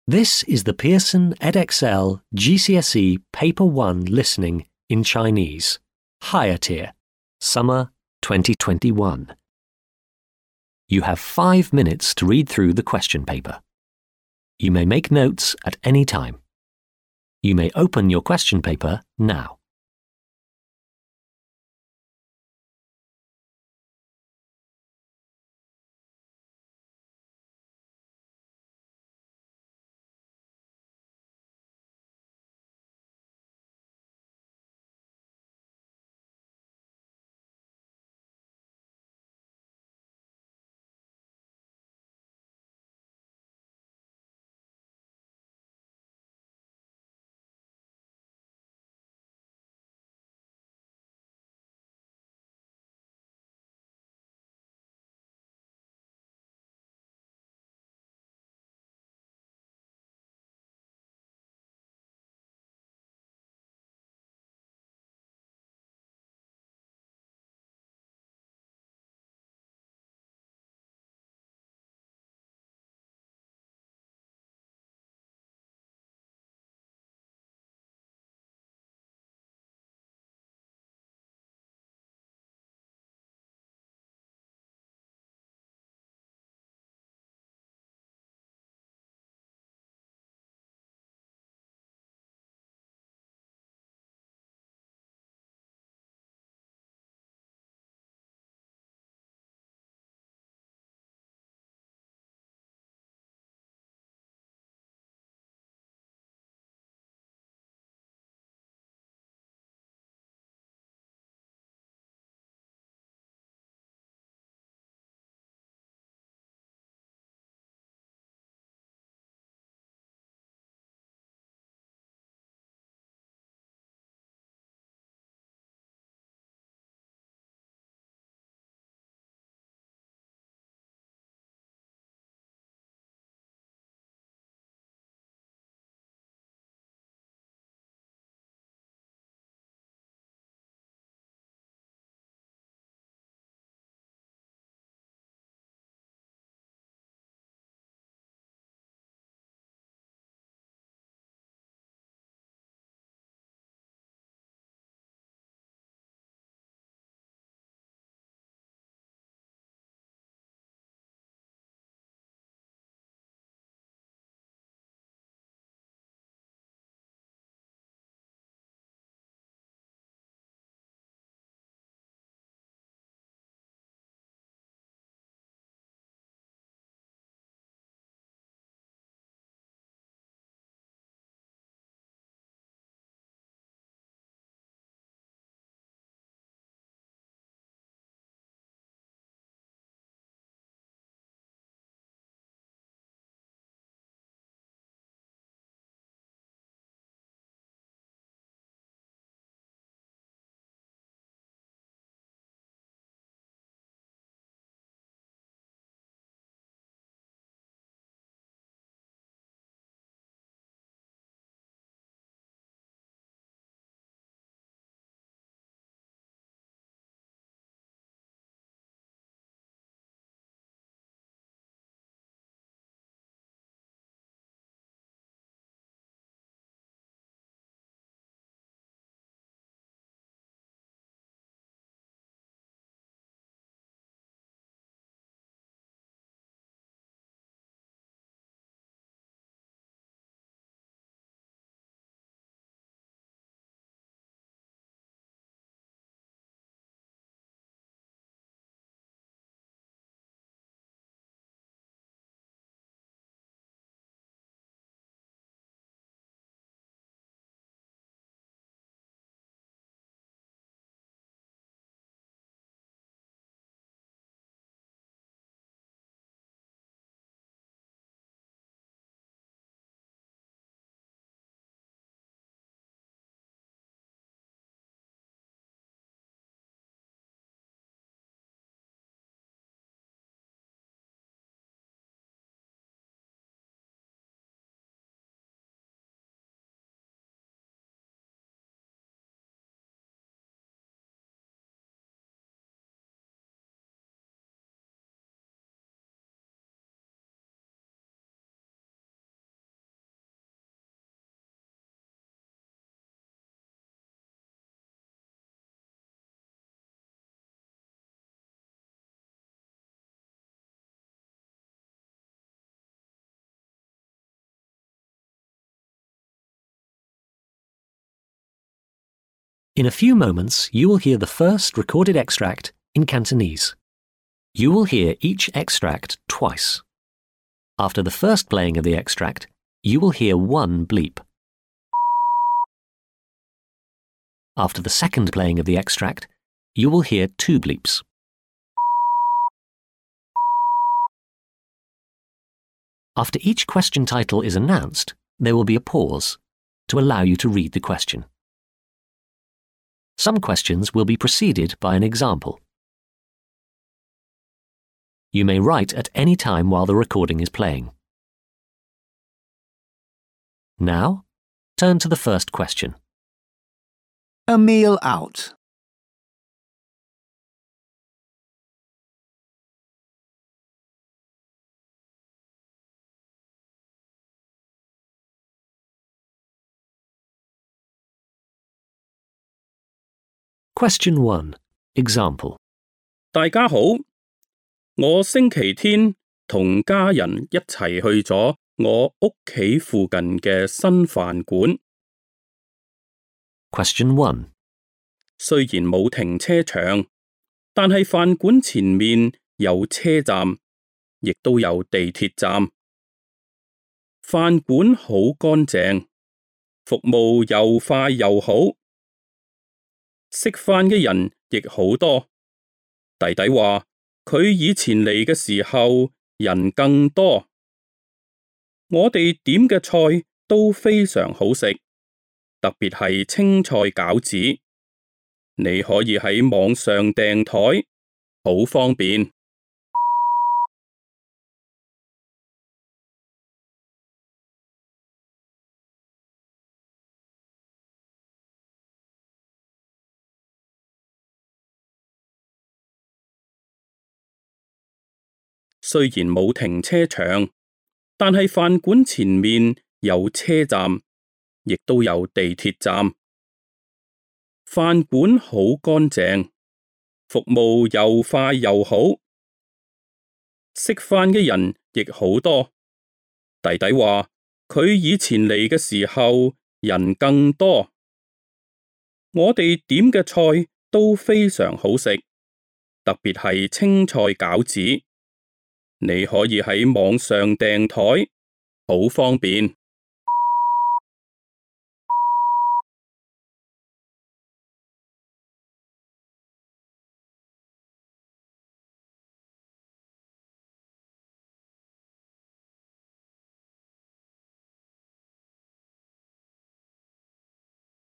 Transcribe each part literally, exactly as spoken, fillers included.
This is the Pearson Edexcel G C S E Paper one Listening in Chinese, Higher Tier, Summer twenty twenty-one. You have five minutes to read through the question paper. You may make notes at any time. You may open your question paper now. In a few moments, you will hear the first recorded extract in Cantonese. You will hear each extract twice. After the first playing of the extract, you will hear one bleep. After the second playing of the extract, you will hear two bleeps. After each question title is announced, there will be a pause to allow you to read the question. Some questions will be preceded by an example. You may write at any time while the recording is playing. Now, turn to the first question. A meal out. Question one. Example. 大家好，我星期天同家人一齊去咗我屋企附近嘅新飯館。Question one. 雖然冇停車場，但係飯館前面有車站，亦都有地鐵站。飯館好乾淨，服務又快又好。食飯嘅人亦好多。弟弟話佢以前嚟嘅時候人更多。我哋點嘅菜都非常好食，特別係青菜餃子。你可以喺網上訂枱，好方便。雖然冇停車場，但係飯館前面有車站，亦都有地鐵站。飯館好乾淨，服務又快又好。食飯嘅人亦好多。弟弟話佢以前嚟嘅時候人更多。我哋點嘅菜都非常好食，特別係青菜餃子。你可以喺網上訂枱，好方便。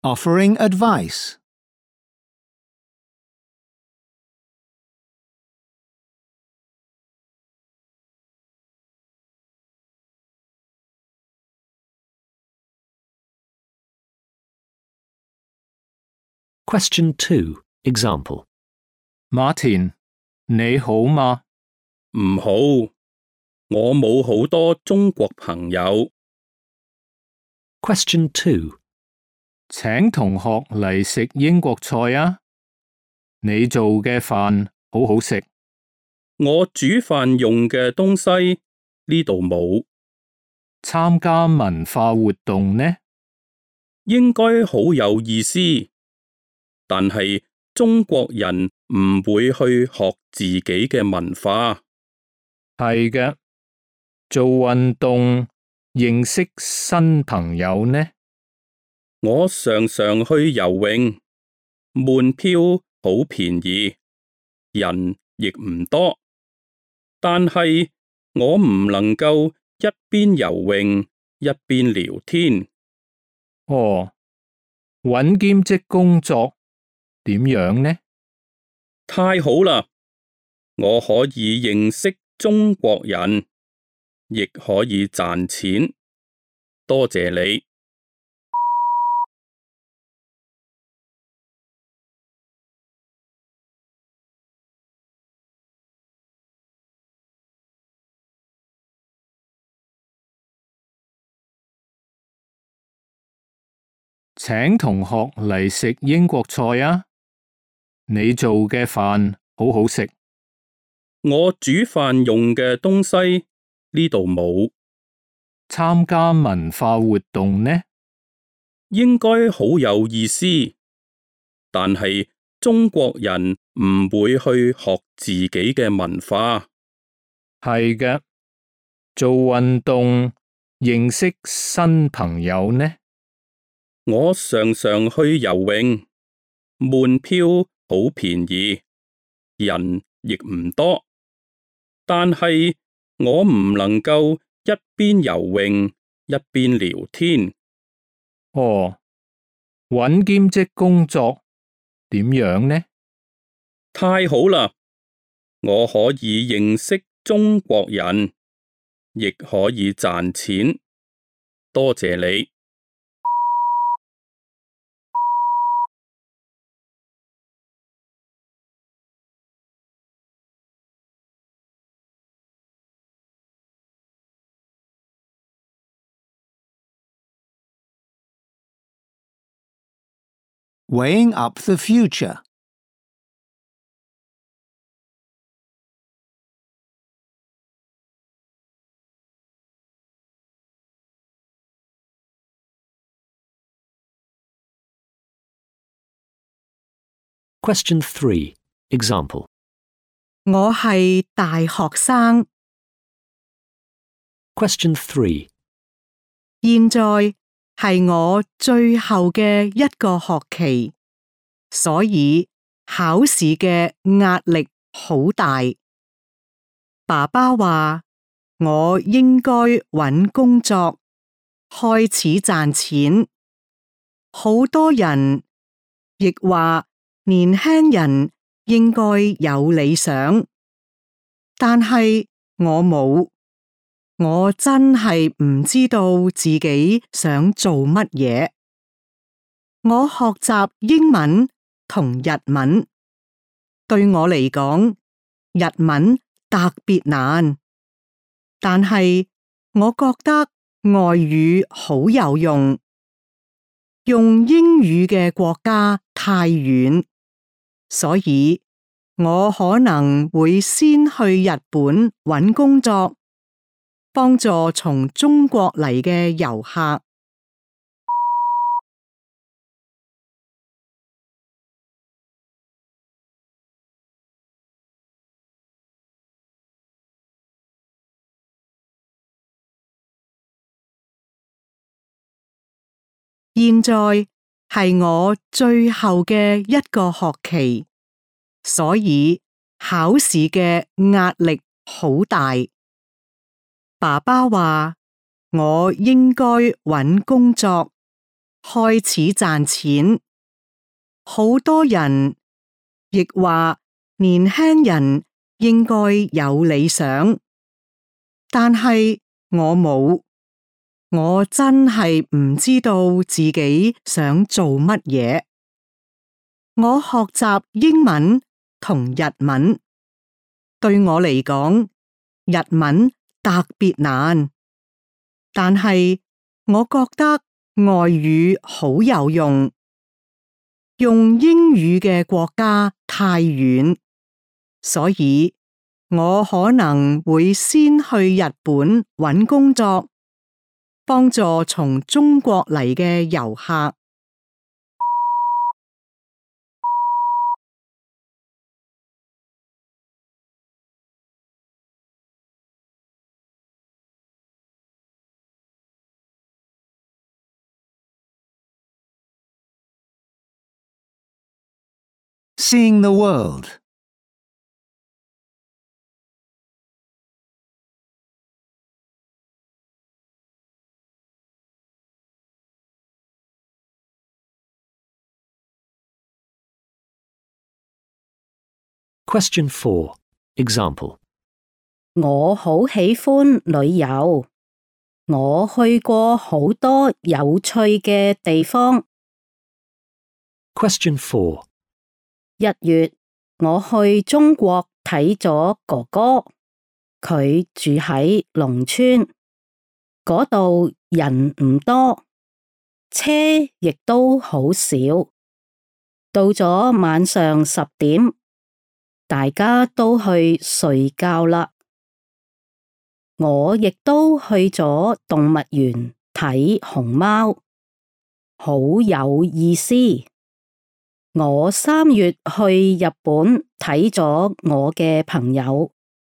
Offering advice. Question two. Example. Martin, 你好嗎？唔好，我冇好多中國朋友。Question two. 請同學嚟食英國菜啊！你做嘅飯好好食。我煮飯用嘅東西呢度冇。參加文化活動呢？應該好有意思，但係中國人唔會去學自己嘅文化。係嘅，做運動認識新朋友呢？我常常去游泳，門票好便宜，人亦唔多，但係我唔能夠一邊游泳一邊聊天。哦，搵兼職工作點樣呢？太好啦！我可以認識中國人，亦可以賺錢。多謝你。請同學嚟食英國菜啊！你做嘅飯好好食。我煮飯用嘅東西呢度冇。參加文化活動呢？應該好有意思，但係中國人唔會去學自己嘅文化。係嘅，做運動認識新朋友呢？我常常去游泳，門票好便宜，人亦唔多，但係我唔能夠一邊游泳一邊聊天。哦，搵兼職工作點樣呢？太好啦！我可以認識中國人，亦可以賺錢。多謝你。Weighing up the future. Question three. Example. 我係大學生， Question three. 現在係我最後嘅一個學期，所以考試嘅壓力好大。爸爸話我應該搵工作，開始賺錢。好多人亦話年輕人應該有理想，但係我冇。我真係唔知道自己想做乜嘢。我學習英文同日文，對我嚟講，日文特別難，但係我覺得外語好有用。用英語嘅國家太遠，所以我可能會先去日本搵工作，幫助從中國嚟嘅遊客。現在係我最後嘅一個學期，所以考試嘅壓力好大。爸爸話我應該搵工作，開始賺錢。好多人亦話年輕人應該有理想，但係我冇。我真係唔知道自己想做乜嘢。我學習英文同日文，對我嚟講，日文特別難，但係我覺得外語好有用。用英語嘅國家太遠，所以我可能會先去日本搵工作，幫助從中國嚟嘅遊客。Seeing the world. Question four. Example. 我好喜歡旅遊，我去過好多有趣嘅地方。Question four. 一月，我去中國睇咗哥哥，佢住喺農村，嗰度人唔多，車亦都好少。到咗晚上十點，大家都去睡覺啦。我亦都去咗動物園睇熊貓，好有意思。我三月去日本睇咗我嘅朋友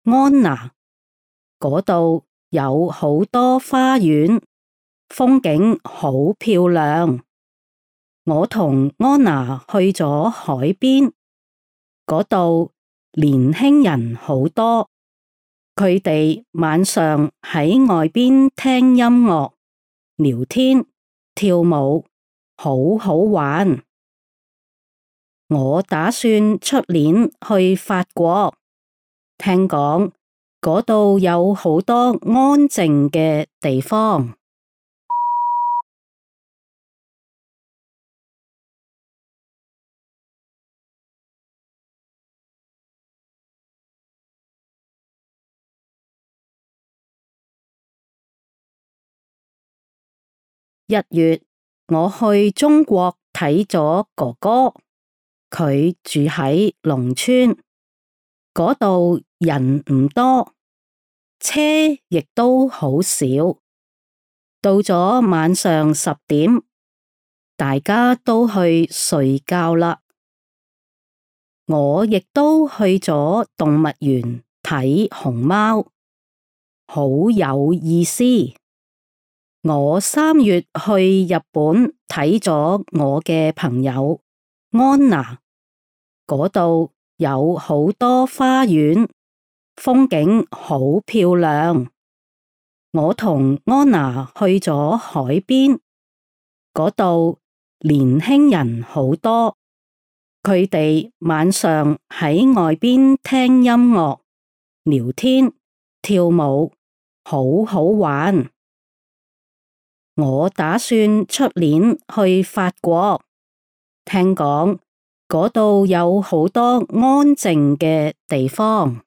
安娜，嗰度有好多花園，風景好漂亮。我同安娜去咗海邊，嗰度年輕人好多，佢哋晚上喺外邊聽音樂、聊天、跳舞，好好玩。我打算出年去法國，聽講嗰度有好多安靜嘅地方。一月，我去中國睇咗哥哥。佢住喺農村，嗰度人唔多，車亦都好少。到咗晚上十點，大家都去睡覺啦。我亦都去咗動物園睇熊貓，好有意思。我三月去日本睇咗我嘅朋友安娜。嗰度有好多花園，風景好漂亮。我同安娜去咗海邊，嗰度年輕人好多，佢哋晚上喺外邊聽音樂、聊天、跳舞，好好玩。我打算出年去法國，聽講嗰度有好多安靜嘅地方。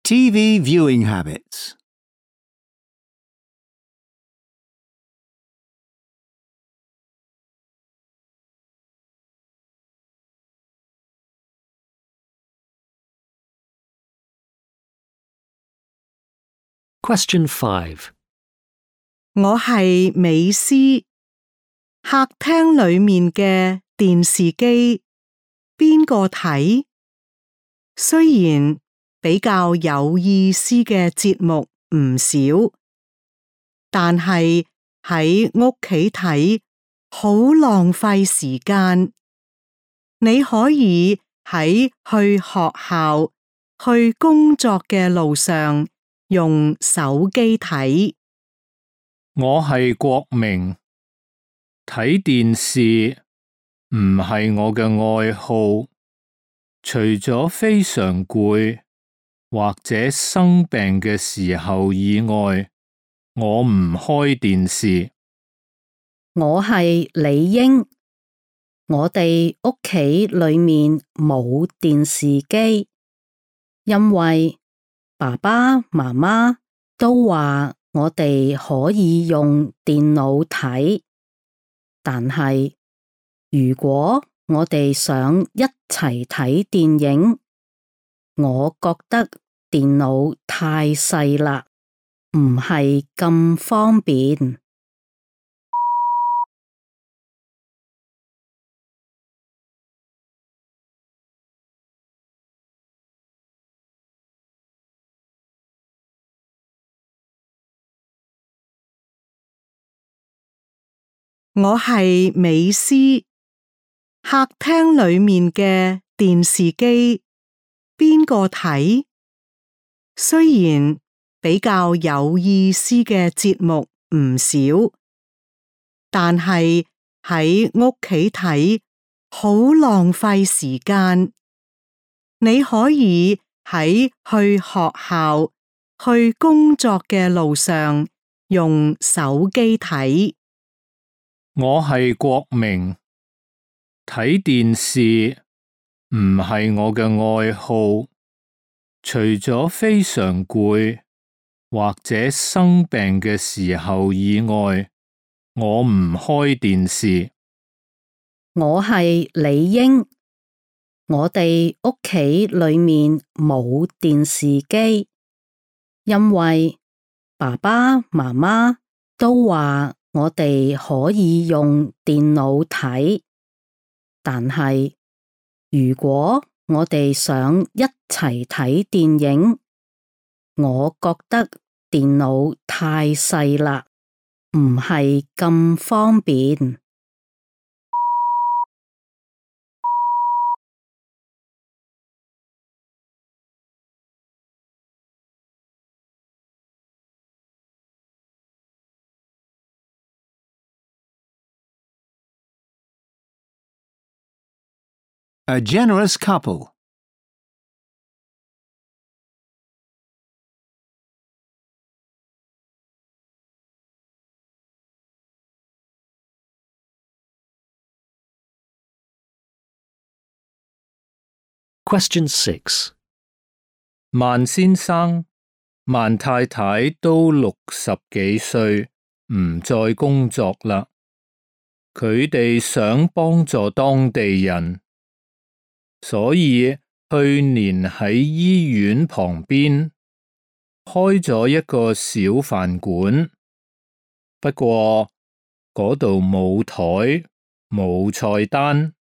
T V viewing habits. Question five. 我係美斯，客廳裏面嘅電視機邊個睇？雖然比較有意思嘅節目唔少，但係喺屋企睇好浪費時間。你可以喺去學校、去工作嘅路上用手機睇。我係國明，睇電視唔係我嘅愛好，除咗非常攰或者生病嘅時候以外，我唔開電視。我係李英，我哋屋企裏面冇電視機，因為爸爸媽媽都話我哋可以用電腦睇，但係如果我哋想一齊睇電影，我覺得電腦太細啦，唔係咁方便。我係美斯，客廳裏面嘅電視機邊個睇？雖然比較有意思嘅節目唔少，但係喺屋企睇好浪費時間。你可以喺去學校、去工作嘅路上用手機睇。我係國明，睇電視唔係我嘅愛好，除咗非常攰或者生病嘅時候以外，我唔開電視。我係李英，我哋屋企裏面冇電視機，因為爸爸媽媽都話我哋可以用電腦睇，但係如果我哋想一齊睇電影，我覺得電腦太細啦，唔係咁方便。A generous couple. Question six. 萬先生、萬太太都六十幾歲，唔再工作啦。佢哋想幫助當地人，所以去年喺醫院旁邊開咗一個小飯館。不過嗰度冇枱，冇菜單。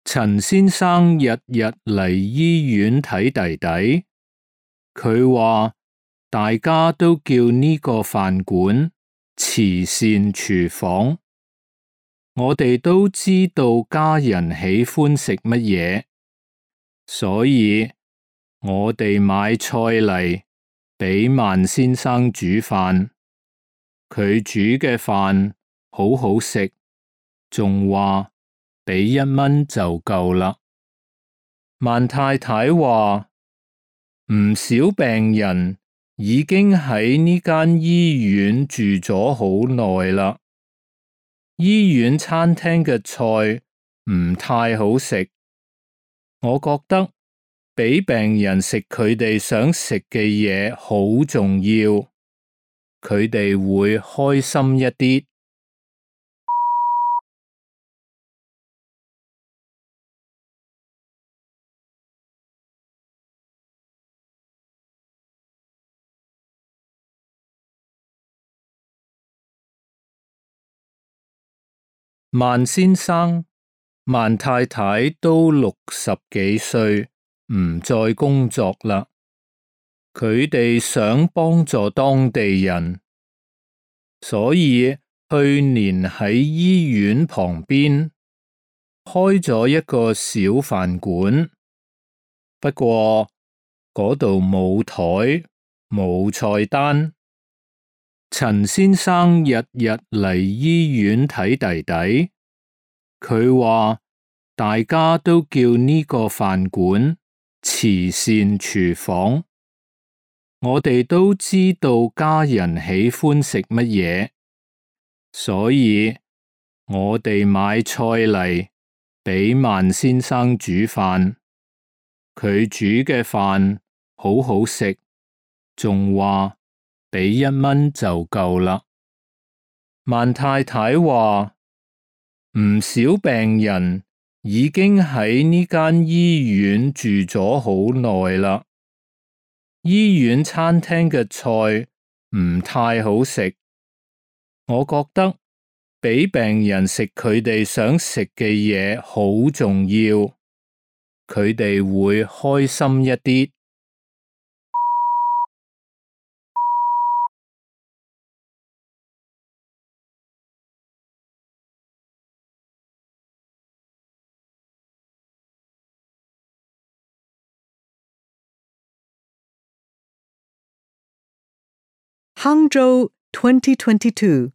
陳先生日日嚟醫院睇弟弟，佢話大家都叫呢個飯館慈善廚房。我哋都知道家人喜歡食乜嘢，所以我哋買菜嚟畀萬先生煮飯。佢煮嘅飯好好食，仲話畀一蚊就夠啦。萬太太話唔少病人已經喺呢間醫院住咗好耐啦。醫院餐廳嘅菜唔太好食，我覺得畀病人食佢哋想食嘅嘢好重要，佢哋會開心一啲。萬先生、萬太太都六十幾歲，唔再工作啦。佢哋想幫助當地人，所以去年喺醫院旁邊開咗一個小飯館。不過嗰度冇枱，冇菜單。陳先生日日嚟醫院睇弟弟，佢話大家都叫呢個飯館慈善廚房。我哋都知道家人喜歡食乜嘢，所以我哋買菜嚟畀萬先生煮飯。佢煮嘅飯好好食，仲話畀一蚊就夠啦。萬太太話唔少病人已經喺呢間醫院住咗好耐啦。醫院餐廳嘅菜唔太好食，我覺得畀病人食佢哋想食嘅嘢好重要，佢哋會開心一啲。Hangzhou twenty twenty-two.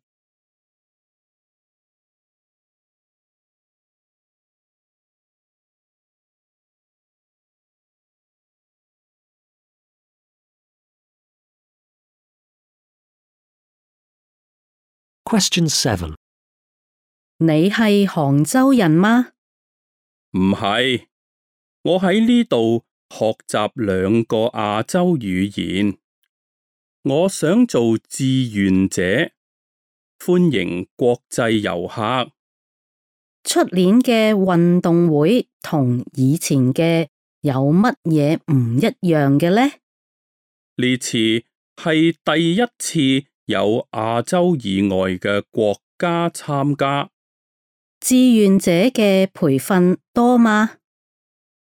Question seven. 你係杭州人嗎？唔係，我喺呢度學習兩個亞洲語言。我想做志願者，歡迎國際遊客。出年嘅運動會同以前嘅有乜嘢唔一樣嘅呢？呢次係第一次有亞洲以外嘅國家參加。志願者嘅培訓多嗎？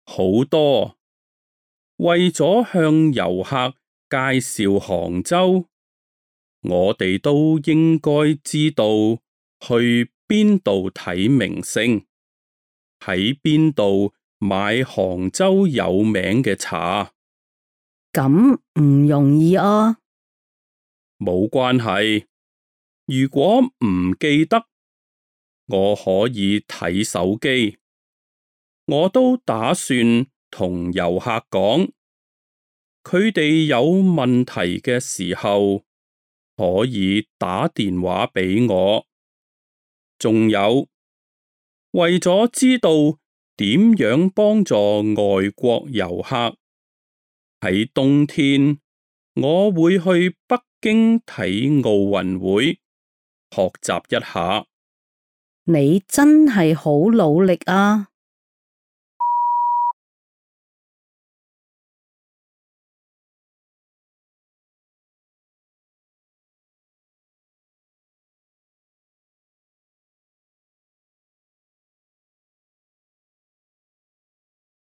好多。為咗向遊客介紹杭州，我哋都應該知道去邊度睇名勝，喺邊度買杭州有名嘅茶。咁唔容易啊！冇關係，如果唔記得，我可以睇手機。我都打算同遊客講，佢哋有問題嘅時候可以打電話俾我。仲有，為咗知道點樣幫助外國遊客，喺冬天我會去北京睇奧運會，學習一下。你真係好努力啊！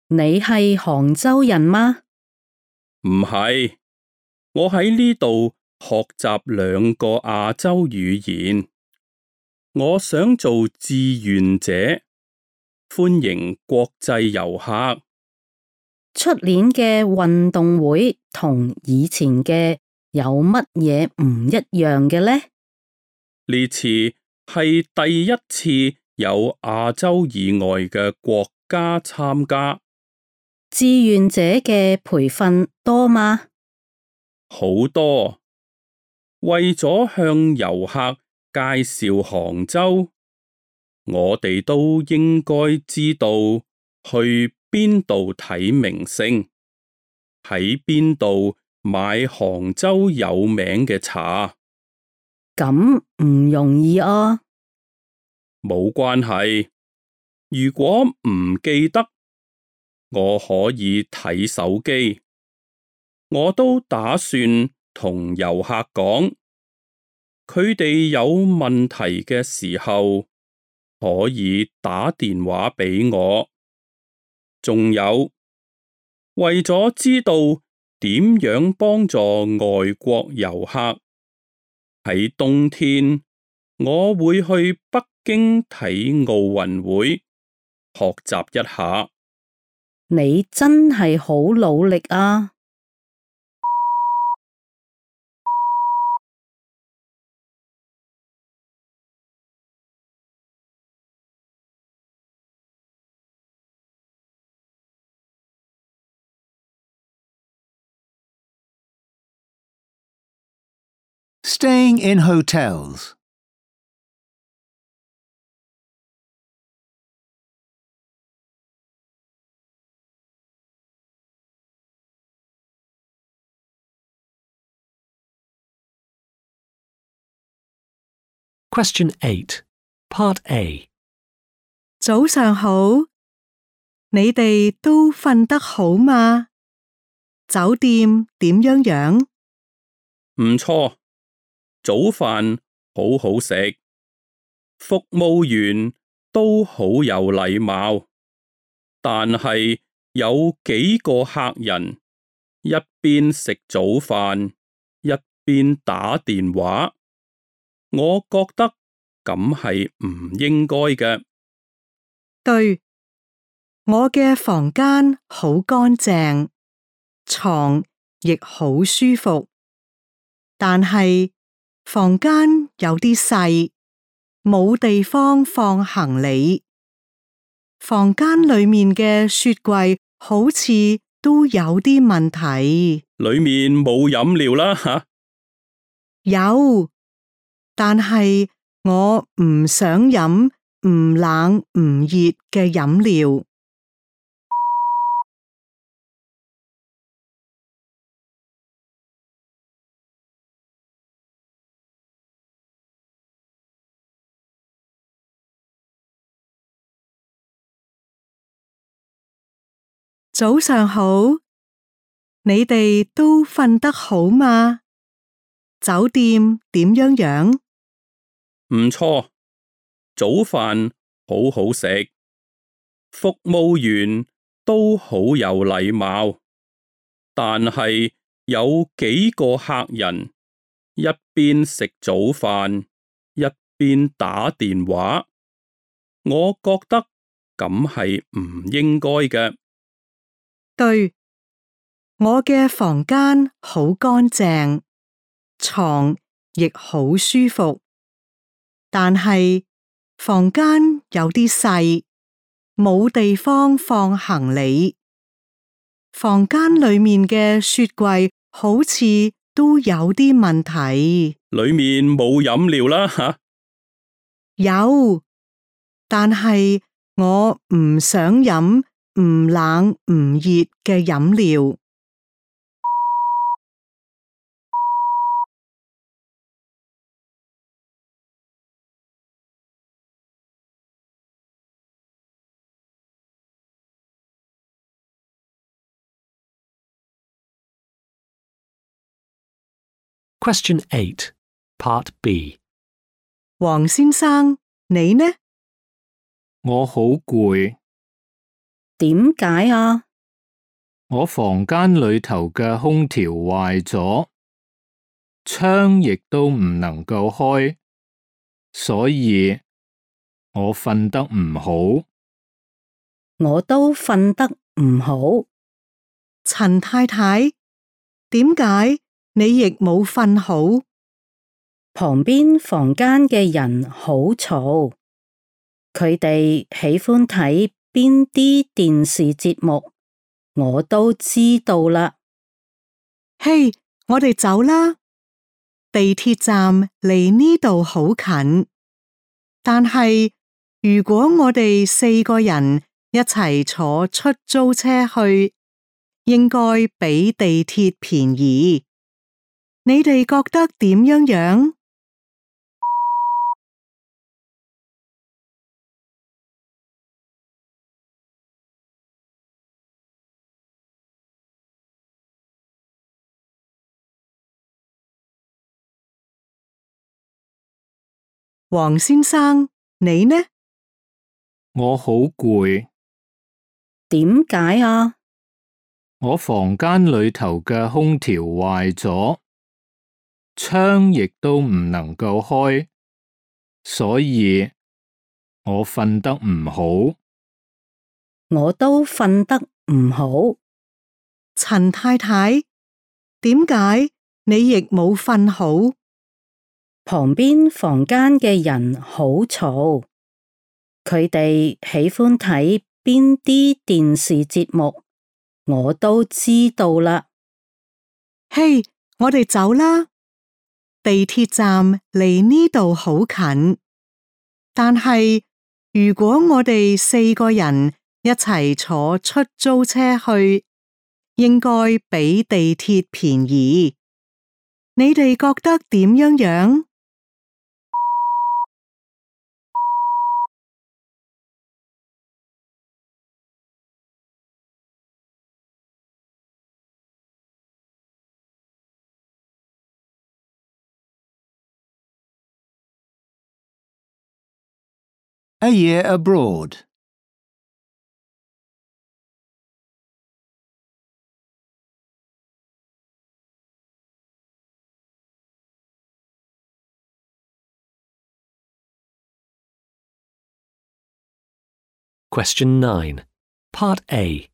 你係杭州人嗎？唔係，我喺呢度學習兩個亞洲語言。我想做志願者，歡迎國際遊客。出年嘅運動會同以前嘅有乜嘢唔一樣嘅呢？呢次係第一次有亞洲以外嘅國家參加。志願者嘅培訓多嗎？好多。為咗向遊客介紹杭州，我哋都應該知道去邊度睇名勝，喺邊度買杭州有名嘅茶。咁唔容易啊！冇關係，如果唔記得，我可以睇手機。我都打算同遊客講，佢哋有問題嘅時候可以打電話俾我。仲有，為咗知道點樣幫助外國遊客，喺冬天我會去北京睇奧運會，學習一下。你真係好努力啊Staying in hotels. Question eight, Part A. 早上好，你哋都瞓得好嗎？酒店點樣樣？唔錯，早飯好好食，服務員都好有禮貌，但係有幾個客人一邊食早飯一邊打電話，我覺得咁係唔應該嘅。對，我嘅房間好乾淨，床亦好舒服，但係房間有啲細，冇地方放行李。房間裏面嘅雪櫃好似都有啲問題。裏面冇飲料啦吓。有，但係我唔想飲唔冷唔熱嘅飲料。早上好，你哋都瞓得好嗎？酒店點樣樣？唔錯，早飯好好食，服務員都好有禮貌，但係有幾個客人一邊食早飯一邊打電話，我覺得咁係唔應該嘅。對，我嘅房間好乾淨，床亦好舒服，但係房間有啲細，冇地方放行李。房間裏面嘅雪櫃好似都有啲問題。裏面冇飲料啦吓？有，但係我唔想飲唔冷唔熱嘅飲料。Question eight, Part B. 黃先生，你呢？我好攰，點解啊？我房間裏頭嘅空調壞咗，窗亦都唔能夠開，所以我瞓得唔好。我都瞓得唔好。陳太太，點解你亦冇瞓好？旁邊房間嘅人好嘈，佢哋喜歡睇邊啲電視節目，我都知道啦。嘿，我哋走啦。地鐵站離呢度好近，但係如果我哋四個人一齊坐出租車去，應該比地鐵便宜。你哋覺得點樣樣？黃先生，你呢？我好攰，點解啊？我房間裏頭嘅空調壞咗，窗亦都唔能夠開，所以我瞓得唔好。我都瞓得唔好。陳太太，點解你亦冇瞓好？旁邊房間嘅人好嘈，佢哋喜歡睇邊啲電視節目，我都知道啦。嘿，我哋走啦。地鐵站離呢度好近，但係如果我哋四個人一齊坐出租車去，應該比地鐵便宜。你哋覺得點樣樣A year abroad. Question nine, Part A.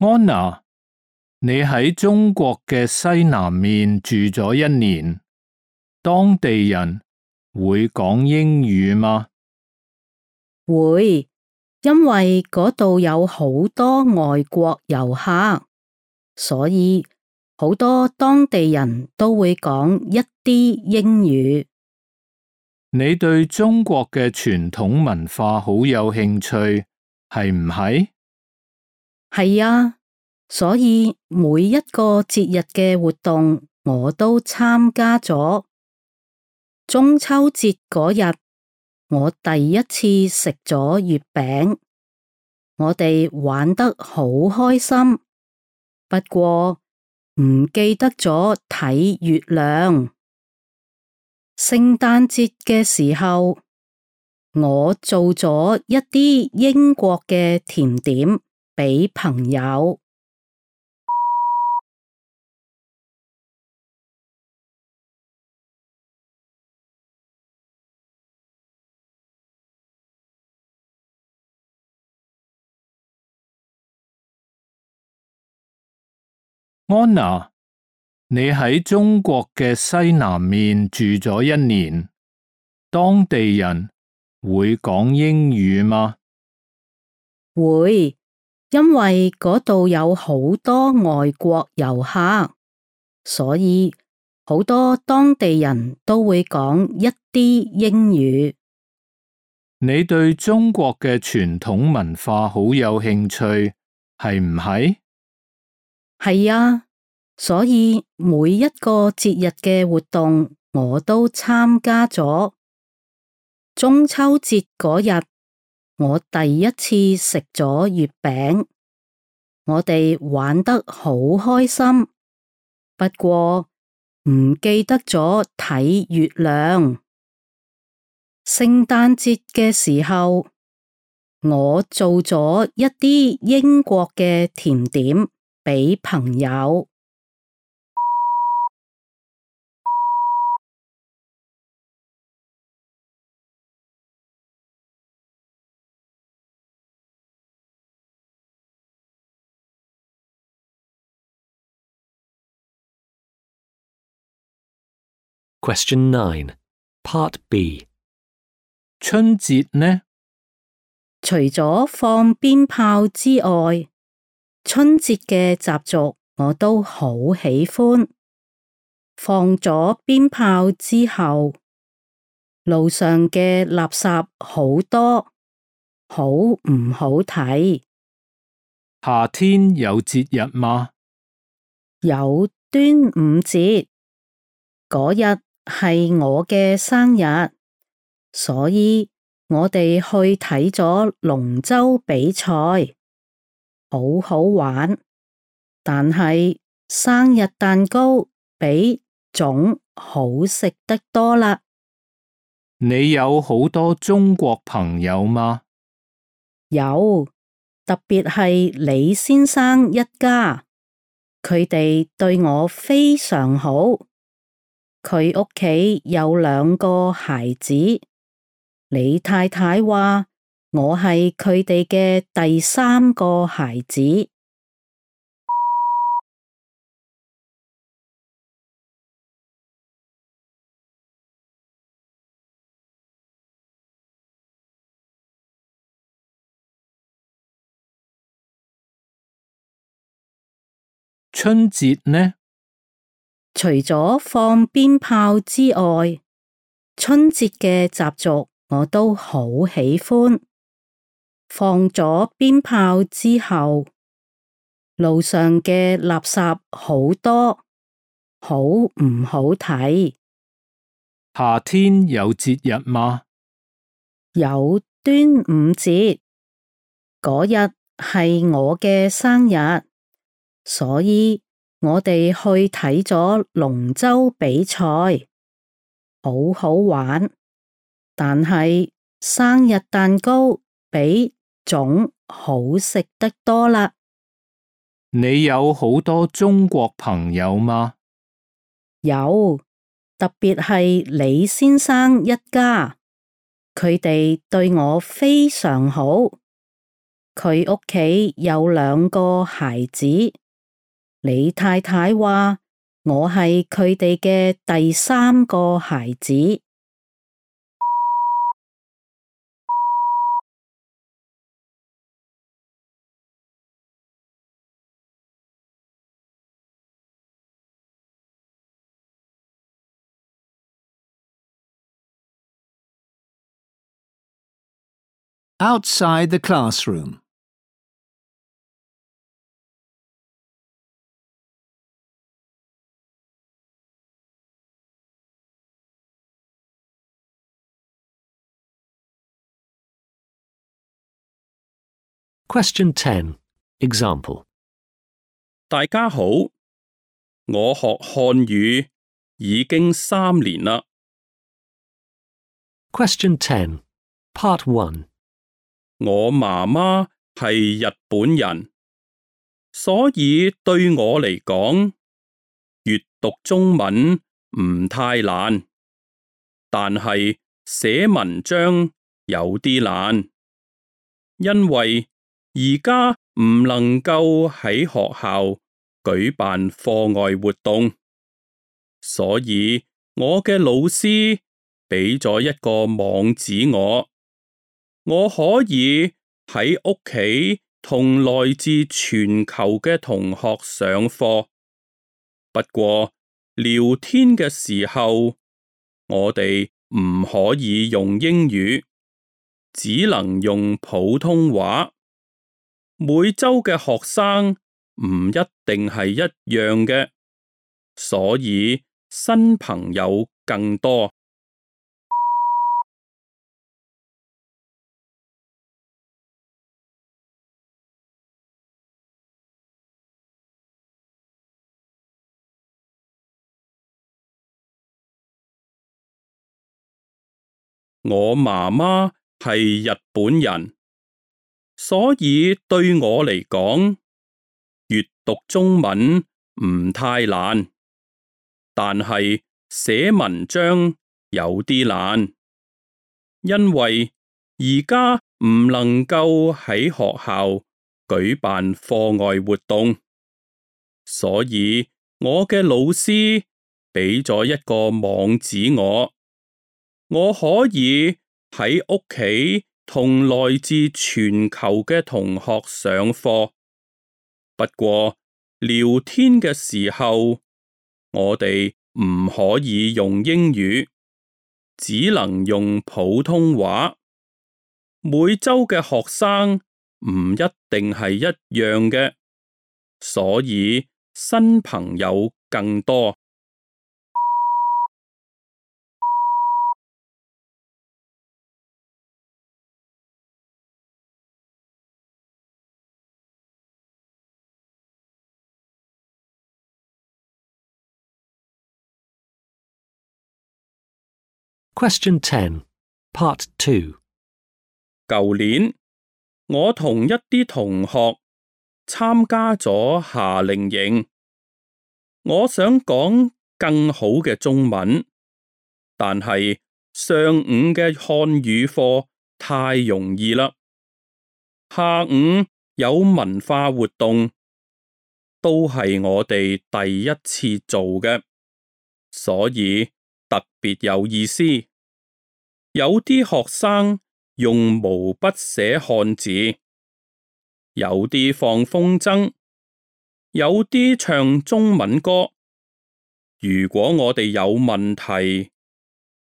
安娜，你喺中國嘅西南面住咗一年，當地人會講英語嗎？會，因為嗰度有好多外國遊客，所以好多當地人都會講一啲英語。你對中國嘅傳統文化好有興趣，係唔係？係啊，所以每一個節日嘅活動我都參加咗。中秋節嗰日，我第一次食咗月餅。我哋玩得好開心，不過唔記得咗睇月亮。聖誕節嘅時候，我做咗一啲英國嘅甜點俾朋友。安娜，你喺中國嘅西南面住咗一年，當地人會講英語嗎？會，因為嗰度有好多外國遊客，所以好多當地人都會講一啲英語。你對中國嘅傳統文化好有興趣，係唔係？係啊，所以每一個節日嘅活動我都參加咗。中秋節嗰日，我第一次食咗月餅，我哋玩得好開心，不過唔記得咗睇月亮。聖誕節嘅時候，我做咗一啲英國嘅甜點俾朋友。Question nine, Part B. 春節呢？除咗放鞭炮之外，春節嘅習俗我都好喜歡。放咗鞭炮之後，路上嘅垃圾好多，好唔好睇？夏天有節日嗎？有端午節，嗰日係我嘅生日，所以我哋去睇咗龍舟比賽，好好玩。但係生日蛋糕比粽好食得多啦。你有好多中國朋友嗎？有，特別係李先生一家，佢哋對我非常好。佢屋企有兩個孩子，李太太話我係佢哋嘅第三個孩子。春節呢？除咗放鞭炮之外，春節嘅習俗我都好喜歡。放咗鞭炮之後，路上嘅垃圾好多，好唔好睇？夏天有節日嗎？有端午節，嗰日係我嘅生日，所以我哋去睇咗龍舟比賽，好好玩。但係生日蛋糕比粽好食得多啦。你有好多中國朋友嗎？有，特別係李先生一家，佢哋對我非常好。佢屋企有兩個孩子，李太太話我係佢哋嘅第三個孩子。Outside the classroom. Question ten. Example. 大家好，我學漢語已經三年啦。Question ten. Part one. 我媽媽係日本人，所以對我嚟講，閱讀中文唔太難，但係寫文章有啲難，因為而家唔能夠喺學校舉辦課外活動，所以我嘅老師俾咗一個網址我，我可以喺屋企同來自全球嘅同學上課。不過聊天嘅時候，我哋唔可以用英語，只能用普通話。每周嘅學生唔一定係一樣嘅，所以新朋友更多。我媽媽係日本人，所以對我嚟講，閱讀中文唔太難，但係寫文章有啲難，因為而家唔能夠喺學校舉辦課外活動，所以我嘅老師俾咗一個網址我。我可以喺屋企同來自全球嘅同學上課，不過聊天嘅時候，我哋唔可以用英語，只能用普通話。每周嘅學生唔一定係一樣嘅，所以新朋友更多。Question ten. Part two. 舊年，我同一啲同學參加咗夏令營。我想講更好嘅中文，但係上午嘅漢語課太容易啦。下午有文化活動，都係我哋第一次做嘅，所以特別有意思。有啲學生用毛筆寫漢字，有啲放風箏，有啲唱中文歌。如果我哋有問題，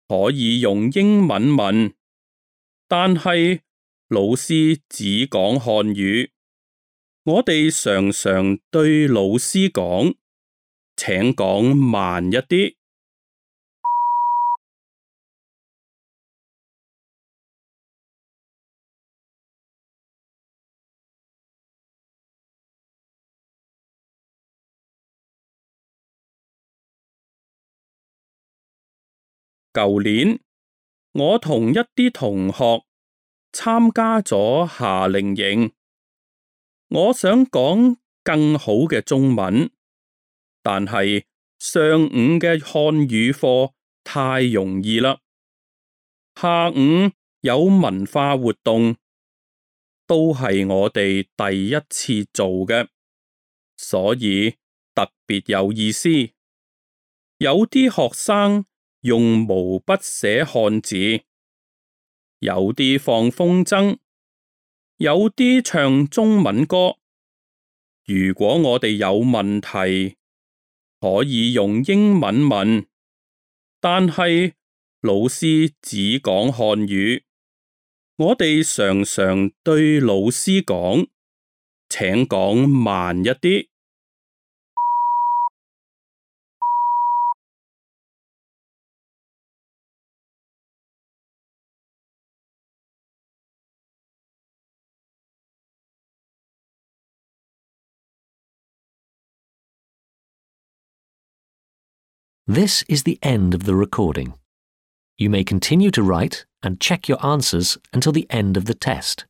可以用英文問，但係老師只講漢語。我哋常常對老師講，請講慢一啲。舊年，我同一啲同學參加咗夏令營。我想講更好嘅中文，但係上午嘅漢語課太容易啦。下午有文化活動，都係我哋第一次做嘅，所以特別有意思。有啲學生用毛筆寫漢字，有啲放風箏，有啲唱中文歌。如果我哋有問題，可以用英文問，但係老師只講漢語。我哋常常對老師講，請講慢一啲。This is the end of the recording. You may continue to write and check your answers until the end of the test.